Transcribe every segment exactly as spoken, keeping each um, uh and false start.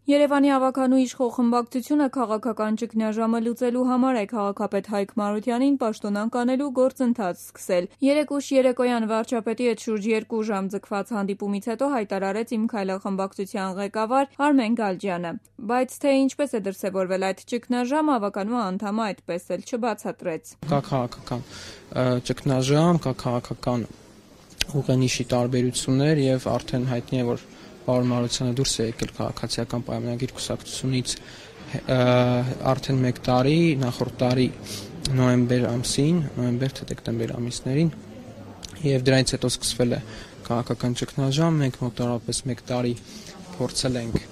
Երևանի ավագանու իշխող խմբակցությունը քաղաքական ճգնաժամը լուծելու համար է քաղաքապետ Հայկ Մարությանին պաշտոնանկ անելու գործընթաց սկսել։ Երեկ ուշ երեկոյան վարչապետի հետ շուրջ երկու ժամ ձգված հանդիպումից հետո հայտարարեց Իմ քայլը խմբակցության ղեկավար Արմեն Գալջյանը։ Բայց թե ինչպես է դրսևորվել այդ ճգնաժամը, ավագանու անդամը այդպես էլ չբացատրեց։ Կա քաղաքական ճգնաժամ, կա քաղաքական ուղենիշի տարբերություններ եւ արդեն հայտնի է, որ Պարոն Մարությանը դուրս է եկել քաղաքացիական պայմանագիր կուսակցությունից արդեն մեկ տարի, նախորդ տարի նոյեմբեր ամսին, նոյեմբեր թե դեկտեմբեր ամիսներին, եւ դրանից հետո սկսվել է քաղաքական ճգնաժամ, մենք մոտավորապես մեկ տարի փորձել ենք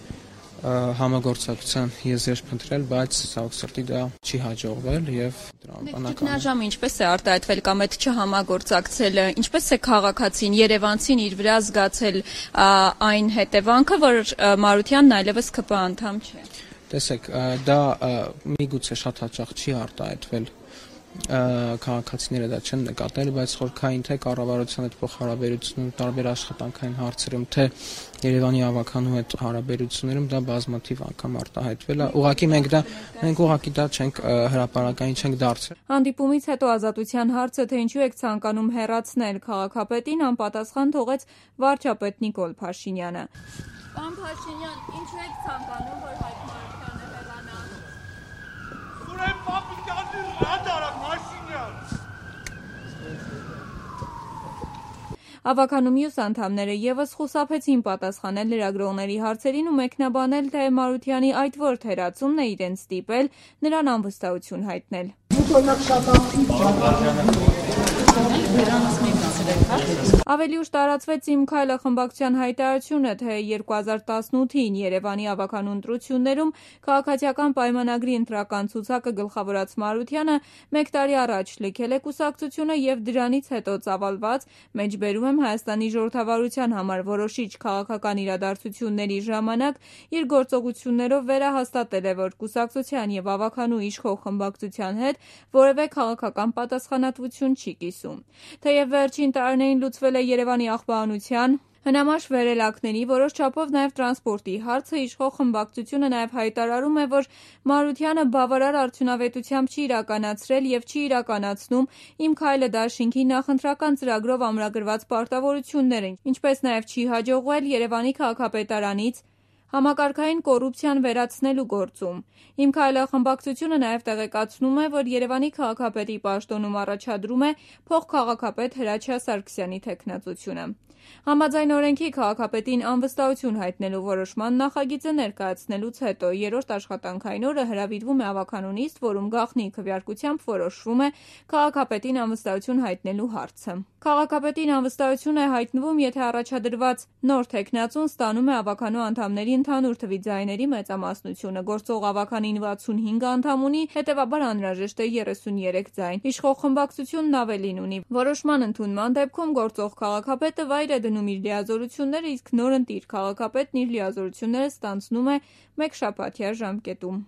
համագործակցության եզրեր փնտրել, բայց ցավոք սրտի դա չի հաջողվել եւ ճգնաժամը ինչպես է արտահայտվել կամ այդ չհամագործակցելը, ինչպես է քաղաքացին, երևանցին իր վրա զգացել այն հետևանքը, որ Մարությանն այլևս ՔՊ անդամ չէ։ Տեսեք, դա միգուցե շատ հաճախ չի արտահայտվել, քաղաքացիները դա չեն նկատել, բայց խորքային թե կառավարության հետ փոխհարաբերությունում, տարբեր աշխատանքային հարցերում, թե Երևանի ավագանու հետ հարաբերություններում դա բազմաթիվ անգամ արտահայտվել է։ Ուղղակի մենք դա մենք ուղղակի դա չենք հրապարակային չենք դարձրել։ Հանդիպումից հետո Ազատության հարցը, թե ինչու եք ցանկանում հեռացնել քաղաքապետին, անպատասխան թողեց վարչապետ Նիկոլ Փաշինյանը։ Պարոն Փաշինյան, ինչու եք ցանկանում, որ Հայկ Մարությանը հեռանա։ Ուրեմն պապիկանի ռադարա Փաշինյան։ Ավագանու մյուս անդամները եւս խուսափեցին պատասխանել լրագրողների հարցերին ու մեկնաբանել, թե Մարությանի այդ ворդ հեռացումն է իրենց ստիպել նրան անվստահություն հայտնել։ Ավելի ուշ տարածվեց Իմ քայլը խմբակցության հայտարարությունը, թե երկու հազար տասնութին Երևանի ավագանու ընտրություններում քաղաքացիական պայմանագրի ընտրական ցուցակը գլխավորած Մարությանը մեկ տարի առաջ լքել է կուսակցությունը եւ դրանից հետո ծավալված, մեջբերում եմ Հայաստանի ժողովրդավարության համար որոշիչ քաղաքական իրադարձությունների ժամանակ իր գործողություններով վերահաստատել է, որ կուսակցության եւ ավագանու իշխող խմբակցության հետ որևէ քաղաքական պատասխանատվություն չի կիսում։ Թեև վերջին տարիներին լուծվել է Երևանի աղբաանության, հնամաշ վերելակների, որոշ չափով նաև տրանսպորտի հարցը, իշխող խմբակցությունը նաև հայտարարում է, որ Մարությանը բավարար արդյունավետությամբ չի իրականացրել եւ չի իրականացնում Իմ քայլը դաշինքի նախընտրական ծրագրով ամրագրված պարտավորությունները, ինչպես նաև չի հաջողվել Երևանի քաղաքապետարանից համակարգային կոռուպցիան վերացնելու գործում։ Իմ քայլը խմբակցությունը նաև տեղեկացնում է, որ Երևանի քաղաքապետի պաշտոնում առաջադրում է փոխքաղաքապետ Հրաչյա Սարգսյանի թեկնածությունը։ Համաձայն օրենքի քաղաքապետին անվստահություն հայտնելու որոշման նախագիծը ներկայացնելուց հետո երրորդ աշխատանքային օրը հրավիրվում է ավագանու նիստ, որում գաղտնի քվեարկությամբ որոշվում է քաղաքապետին անվստահություն հայտնելու հարցը։ Քաղաքապետին անվստահություն է հայտնվում, եթե առաջադրված նոր թեկնածուն ստանում է ավագանու անդամների ընդհանուր թվի ձայների մեծամասնությունը, գործող ավագանին վաթսունհինգ անդամ ունի, հետևաբար անհրաժեշտ է երեսունյերեք ձայն։ Իշխող խմբակցությունն ավելին ունի։ Որոշման ընդունման դեպքում գործող քաղաքապետը վայր է դնում իր լիազորությունները, իսկ նորընտիր քաղաքապետն իր լիազորությունները ստանձնում է մեկ շաբաթյա ժամկետում։